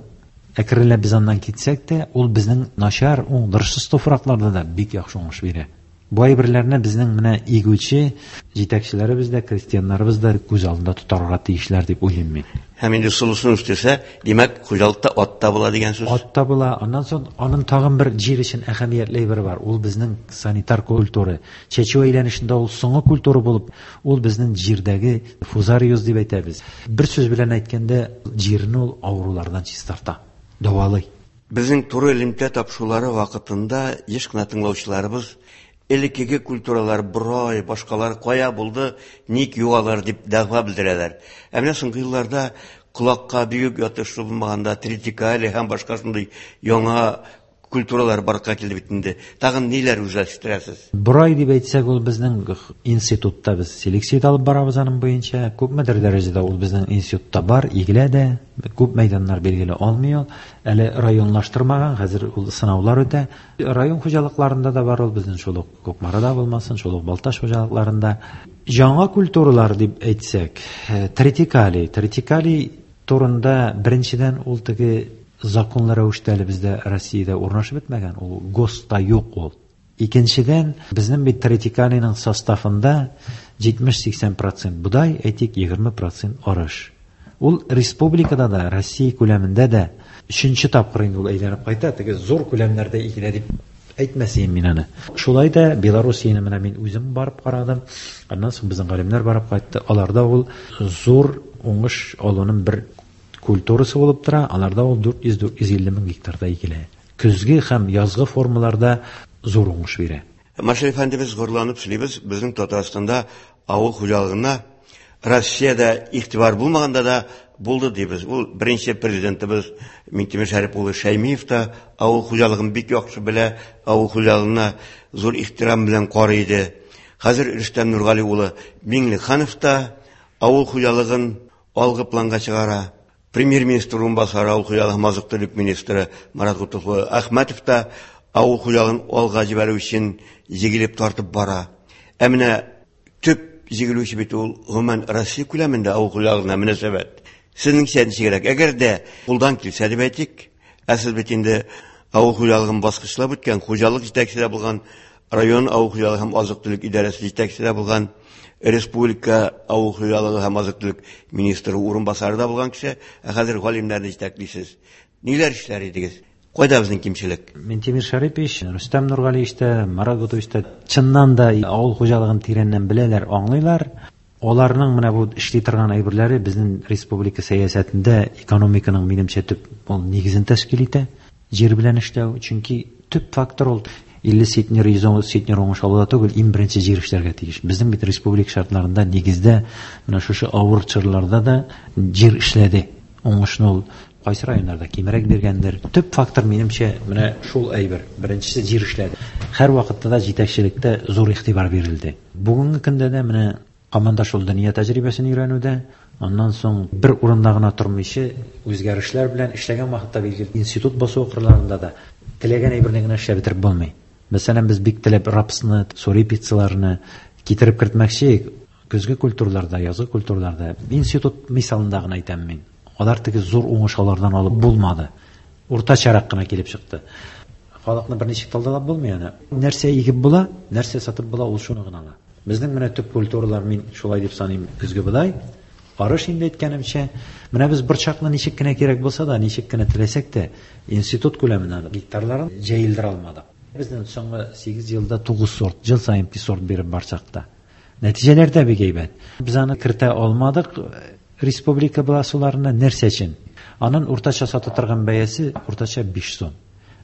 Әкренләп без аннан китсәк тә, ул безнең начар, уңдырышсыз туфракларда да бик яхшы уңыш бирә. Бу әйберләрне безнең менә игүче җитәкчеләребез дә, крестьяннарыбыз да күз алдында тотарга тиешләр дип уйлыйм мин. Һәм инде солысын үстерсә, димәк, хуҗалыкта ат та була дигән сүз. Ат та була. Аннан соң аның тагын бер җир өчен әһәмиятле әйбер бар. Ул безнең санитар культура. Чәчү әйләнешендә ул соңгы культура булып, ул безнең җирдәге фузариоз дип әйтәбез. Бер сүз белән әйткәндә, җирне ул авырулардан чистарта, дәвалый. Безнең туры элемтә тапшырулары вакытында еш кына тыңлаучыларыбыз элеккеге культуралар, борай, башкалар кая булды, ник югалар дип дәгъва белдерәләр. Ә менә соңгы елларда колакка бигүк ятышлы булмаганда тритикале һәм башка шундый яңа культуралар барлыкка килде бит инде. Тагын ниләр үзләштерәсез? Борай дип әйтсәк, ул безнең институтта без селекция алып барабыз аның буенча. Күпмедер дәрәҗәдә ул безнең институтта бар, игелә дә, күп мәйданнар билгеле алмый ул. Әле районлаштырмаган, хәзер ул сынаулар үтә. Район хуҗалыкларында да бар ул безнең, шул ук Кукмарада булмасын, шул ук Балтач хуҗалыкларында. Яңа культуралар дип әйтсәк, тритикали, тритикали турында беренчедән ул теге законлы рәвештә әле бездә Россиядә урнашып бетмәгән, ул ГОСТта юк ул. Икенчедән, безнең бит тритикалиның составында җитмеш-сиксән процент бодай, әйтик, егерме процент арыш. Ул республикада да, Россия күләмендә дә өченче тапкыр инде ул әйләнеп кайта, теге зур күләмнәрдә игелә дип әйтмәсем мин аны. Шулай да Белоруссияне менә мин үзем барып карадым, аннан соң безнең галимнәр барып кайтты. Аларда ул зур уңыш алуның бер культурасы булып тора, аларда ул дүрт йөз, дүрт йөз илле мең гектарда игелә. Көзге һәм язгы формаларда зур уңыш бирә. Маршал әфәнде, без горурланып сөйлибез, безнең Татарстанда авыл хуҗалыгына Россиядә игътибар булмаганда да булды дибез. Ул беренче президентыбыз Минтимер Шәрип улы Шәймиев та авыл хуҗалыгын бик яхшы белә, авыл хуҗалыгына зур ихтирам белән карый иде. Хәзер Рөстәм Нургали улы Миңнеханов та авыл хуҗалыгын алгы планга чыгара. Премьер-министр урынбасары, авыл хуҗалыгы һәм азык-төлек министры Марат Гутуф Әхмәтов та авыл хуҗалыгын алга җибәрү өчен җигелеп тартып бара. Ә менә төп җигелүче бит ул гомумән Россия күләмендә авыл хуҗалыгына мөнәсәбәт. Сезнеңчә ничегрәк? Әгәр дә кулдан килсә дип әйтик, ә сез бит инде авыл хуҗалыгын баскычлап үткән, хуҗалык җитәкчесе булган, район авыл хуҗалыгы һәм азык-төлек идарәсе җитәкчесе булган, республика авыл хуҗалыгы һәм азык-төлек министры урынбасары да булган кеше, ә хәзер галимнәрне җитәклисез. Ниләр эшләр идегез? Кайда безнең кимчелек? Минтимер Шәрипович, Рөстәм Нургалиевич та, Марат Гутович та чыннан да авыл хуҗалыгын тирәннән беләләр, аңлыйлар. Аларның менә бу эшли торган әйберләре безнең республика сәясәтендә экономиканың минемчә төп ул нигезен тәшкил итә. Җир белән эшләү, чөнки төп фактор ул илле центнер, йөз ун центнер уңыш алуда түгел, иң беренче җир эшләргә тиеш. Безнең бит республика шартларында нигездә менә шушы авыр чорларда да җир эшләде. Уңышны ул кайсы районнарда кимрәк биргәндер. Төп фактор минемчә менә шул әйбер. Беренчесе җир эшләде. Һәр вакытта да җитәкчелектә зур игътибар бирелде. Бүгенге көндә дә менә команда шул дөнья тәҗрибәсен өйрәнүдә, аннан соң бер урында гына тормыйча үзгәрешләр белән эшләгән вакытта билгеле институт басу кырларында да теләгән әйберне генә эшләп бетереп булмый. Мәсәлән, без бик теләп рапсны, сурепицаларны китереп кертмәкче көзге культураларда, язгы культураларда. Институт мисалында гына әйтәм мин. Алар теге зур уңыш алардан алып булмады. Уртачарак кына килеп чыкты. Халыкны берничек талдалап булмый аны. Нәрсә игеп була, нәрсә сатып була, ул шуны гына ала. Безнең менә төп культуралар, мин шулай дип саныйм, көзге бодай, арыш инде әйткәнемчә, менә без борчакны ничек кенә кирәк булса да, ничек кенә теләсәк тә, институт күләменә гектарларын җәелдерә алмадык. Безнең соңгы сигез елда тугыз сорт, ел саен бер сорт биреп барсак та. Нәтиҗәләр дә бик әйбәт. Без аны кертә алмадык республика басуларына нәрсә өчен? Аның уртача сата торган бәясе уртача биш сум.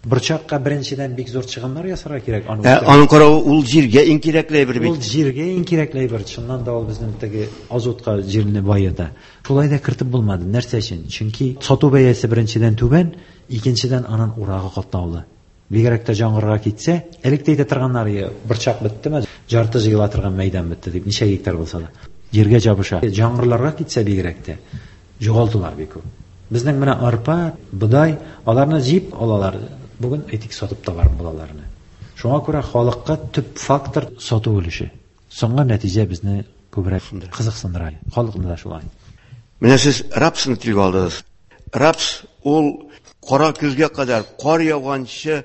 Борчакка беренчедән бик зур чыгымнар ясарга кирәк. Аны Ә, аның каравы ул җиргә иң кирәкле әйбер бит. Ул җиргә иң кирәкле әйбер. Чыннан да ул безнең теге азотка җирне баета. Шулай да кертеп булмады. Нәрсә өчен? Чөнки сату бәясе беренчедән түбән, икенчедән аның урагы катлаулы. Бигрәк тә яңгырга китсә, элек тә әйтә торганнар, борчак беттеме, жарты җыела торган мәйдан бетте дип, ничә гектар булса да. Җиргә җабыша. Яңгырларга китсә бигрәк тә югалтулар бик күп. Безнең менә арпа, бодай, аларны җыеп алалар. Бүген әйтик сатып та барып булаларны. Шуңа күрә халыкка төп фактор сату өлеше. Соңгы нәтиҗә безне күбрәк кызыксындыра. Халыкны да шулай. Менә сез рапсны телгә алдыгыз. Рапс ул кара көзгә кадәр кар яуганчы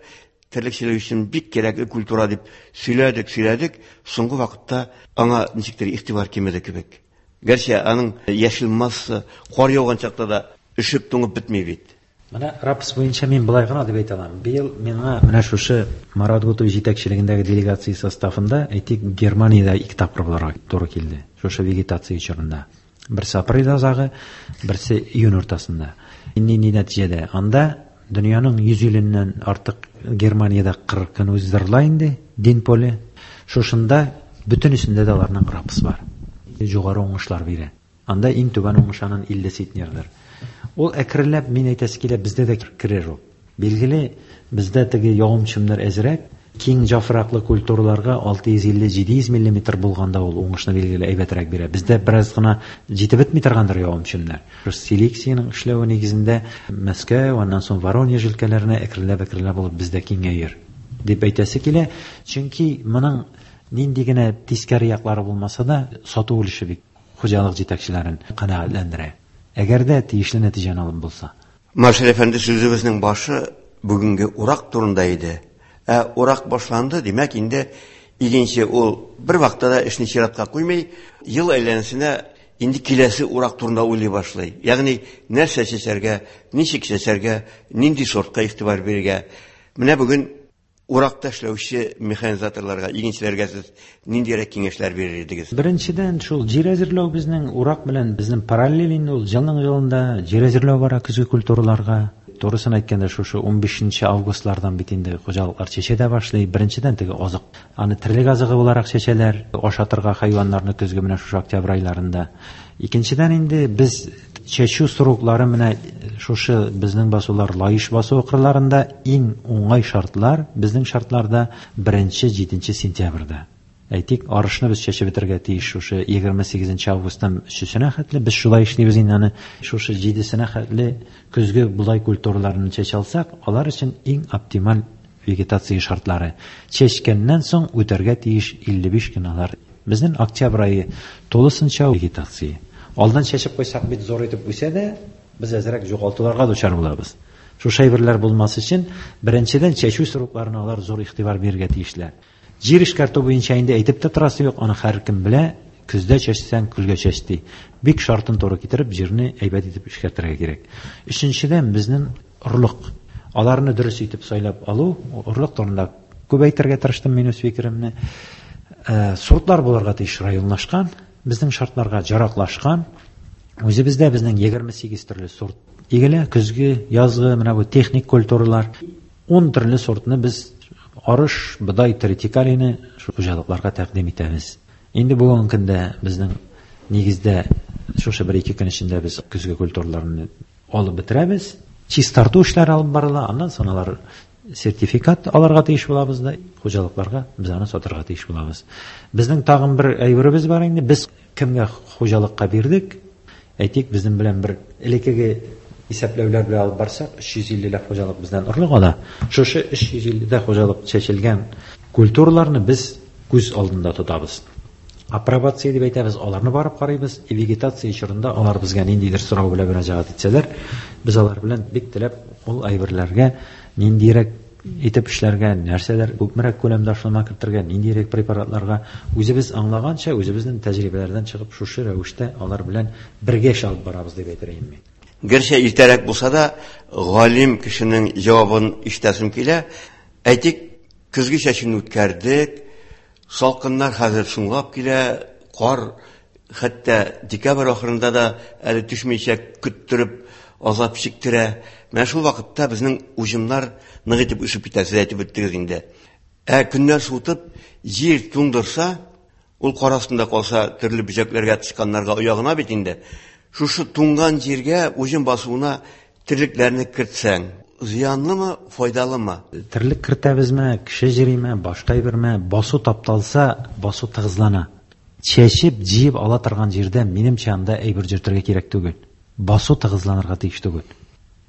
терлекчелек өчен бик кирәкле культура дип сөйләдек, сөйләдек. Соңгы вакытта аңа ничектер игътибар кимеде кебек. Гәрчә аның яшел масса кар яуган чакта да өшеп туңып бетми бит. Менә рапс буенча мин былай гына дип әйтә алам. Быел миңа менә шушы Марат Гутов җитәкчелегендәге делегация составында, әйтик, Германиядә ике тапкыр булырга туры килде. Шушы вегетация чорында. Берсе апрель азагы, берсе июнь уртасында. Нинди нәтиҗәдә? Анда дөньяның йөз иленнән артык Германиядә кырык көн уздырыла инде, дин поле. Шушында бөтенесендә дә аларның рапс бар. Югары уңышлар бирә. Анда иң түбән уңыш аның илле центнердыр. Ул әкренләп, мин әйтәсе килә, бездә дә керер ул. Билгеле, бездә теге явым-төшемнәр әзрәк, киң яфраклы культураларга алты йөз илле җиде йөз миллиметр булганда ул уңышны билгеле әйбәтрәк бирә. Бездә бераз гына җитеп бетми торгандыр явым-төшемнәр. Селекциянең эшләве нигезендә Мәскәү, аннан соң Воронеж өлкәләренә әкренләп-әкренләп булып бездә киңәер дип әйтәсе килә. Чөнки моның нинди генә тискәре яклары булмаса да, сату өлеше бик хуҗалык җитәкчеләрен канәгатьләндерә. Әгәр дә тиешле нәтиҗәне алып булса. Маршал әфәнде, сүзебезнең башы бүгенге урак турында иде. Ә урак башланды, димәк инде игенче ул бер вакытта да эшне чиратка куймый, ел әйләнәсенә инде киләсе урак турында уйлый башлый. Ягъни нәрсә чәчәргә, ничек чәчәргә, нинди сортка игътибар бирергә. Менә бүген уракта эшләүче механизаторларга, игенчеләргә сез ниндирәк киңәшләр бирер идегез? Беренчедән, шул җир әзерләү безнең урак белән безнең параллель инде ул елның елында җир әзерләү бара көзге культураларга. Турысын әйткәндә, шушы унбишенче августлардан бит инде хуҗалыклар чәчә дә башлый. Беренчедән теге азык, аны терлек азыгы буларак чәчәләр, ашатырга хайваннарны көзге менә шушы октябрь айларында. Икенчедән инде без чәчү сроклары менә шушы безнең басулар Лаеш басу кырларында иң уңай шартлар безнең шартларда беренче җиденче сентябрьдә. Әйтик, арышны без чәчеп бетерергә тиеш шушы егерме сигезенче августтан өчесенә хәтле. Без шулай эшлибез инде аны шушы җидесенә хәтле көзге бодай культураларын чәчә алсак, алар өчен иң оптималь вегетация шартлары. Чәчкәннән соң үтәргә тиеш илле биш көн алар. Безнең октябрь ае тулысынча вегетация. Алдан чәчеп куйсак бит зур итеп үсә дә, без әзрәк югалтуларга дучар булабыз. Шушы әйберләр булмас өчен беренчедән чәчү срокларына алар зур игътибар бирергә тиешләр. Җир эшкәртү буенча инде әйтеп тә торасы юк, аны һәркем белә, көздә чәчсәң көлгә чәч ди. Бик шартын туры китереп җирне әйбәт итеп эшкәртергә кирәк. Өченчедән безнең орлык. Аларны дөрес итеп сайлап алу, орлык турында күп әйтергә тырыштым мин үз фикеремне. Э, сортлар булырга тиеш районлашкан, безнең шартларга яраклашкан. Үзебездә безнең егерме сигез төрле сорт игелә, көзге, язгы, менә бу техник культуралар. Ун төрле сортны без арыш, бодай, тритикалины шу хуҗалыкларга тәкъдим итәбез. Инде бүгенге көндә безнең нигездә шушы бер ике көн эчендә без көзге культураларны алып бетерәбез. Чистарту эшләре алып барыла, аннан соң алар сертификат алырга тиеш булабыз да, хуҗалыкларга без аны сатырга тиеш булабыз. Безнең тагын бер әйберебез бар инде, без кемгә хуҗалыкка бирдек? Әйтик, безнең белән бер элеккеге исәпләүләр белән алып барсак, өч йөз иллеләп хуҗалык бездән орлык ала. Шушы өч йөз илледә хуҗалык чәчелгән культураларны без күз алдында тотабыз. Апробация дип әйтәбез, аларны барып карыйбыз. И вегетация чорында алар безгә ниндидер сорау белән мөрәҗәгать итсәләр, без алар белән бик теләп ул әйберләргә ниндирәк итеп эшләргә, нәрсәләр күпмерәк күләмдә ашлама кертергә, ниндирәк препаратларга үзебез аңлаганча, үзебезнең тәҗрибәләрдән чыгып шушы рәвештә алар белән бергә эш алып барабыз дип әйтер идем мин. Гәрчә иртәрәк булса да, галим кешенең җавабын ишетәсем килә. Әйтик, көзге чәчүне үткәрдек, салкыннар хәзер соңлап килә, кар хәтта декабрь ахырында да әле төшмичә көттереп азап чиктерә. Менә шул вакытта безнең уҗымнар нык итеп үсеп китә, сез әйтеп үттегез инде. Ә көннәр суытып, җир туңдырса, ул кар астында калса, төрле бөҗәкләргә, тычканнарга оягына бит инде. Шушы туңган җиргә уҗым басуына терлекләрне кертсәң, зыянлымы, файдалымы? Терлек кертәбезме, кеше җириме, башка әйберме, басу тапталса, басу тыгызлана. Чәчеп, җыеп ала торган җирдә минемчә анда әйбер йөртергә кирәк түгел. Басу тыгызланырга тиеш түгел.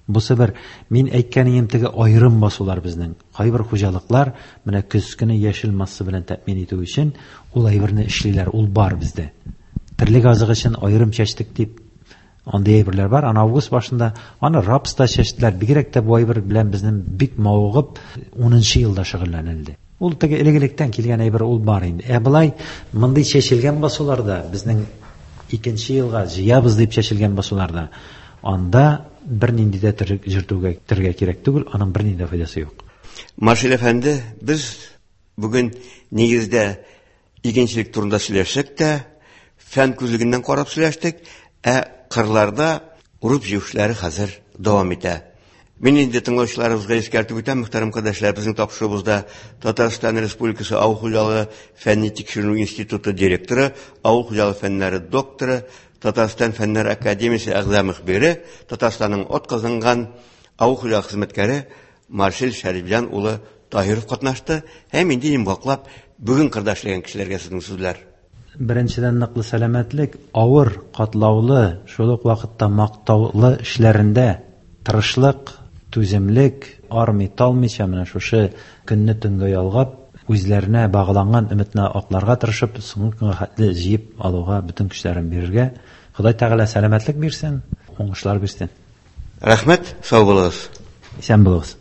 Бусы бер, мин әйткәнем теге аерым басулар безнең. Кайбер хуҗалыклар менә көз көне яшел масса белән тәэмин итү өчен ул әйберне эшлиләр, ул бар бездә. Терлек азыгы өчен аерым чәчтек дип андый әйберләр бар. Аны август башында, аны рапс та чәчтеләр. Бигрәк тә бу әйбер белән безнең бик мавыгып унынчы елда шөгыльләнелде. Ул теге элек-электән килгән әйбер ул бар инде. Ә болай мондый чәчелгән басуларда, безнең икенче елга җыябыз дип чәчелгән басуларда, анда бернинди дә терлек җөртүгә тергә кирәк түгел, аның бернинди дә файдасы юк. Маршал әфәнде, без бүген нигездә игенчелек турында сөйләшсәк тә, фән күзлегеннән карап сөйләштек, ә кырларда урып җыю эшләре хәзер дәвам итә. Мин инде тыңлаучыларыбызга искәртеп үтәм, мөхтәрәм кардәшләр, безнең тапшыруыбызда Татарстан Республикасы Авыл хуҗалыгы фәнни тикшеренү институты директоры, авыл хуҗалыгы фәннәре докторы, Татарстан Фәннәр академиясе әгъза мөхбире, Татарстанның атказанган авыл хуҗалыгы хезмәткәре Марсель Шәрифҗан улы Таһиров катнашты. Һәм инде йомгаклап бүген кырда эшләгән кешеләргә сезнең сүзләр. Беренчедән ныклы сәламәтлек, авыр, катлаулы, шул ук вакытта мактаулы эшләрендә тырышлык, түземлек, армый талмыйча менә шушы көнне төнгә ялгап, үзләренә багланган өметне акларга тырышып, соңгы көнгә хәтле җыеп алуга бөтен көчләрен бирергә. Ходай Тәгалә сәламәтлек бирсен, уңышлар бирсен. Рәхмәт, сау булыгыз. Исән булыгыз.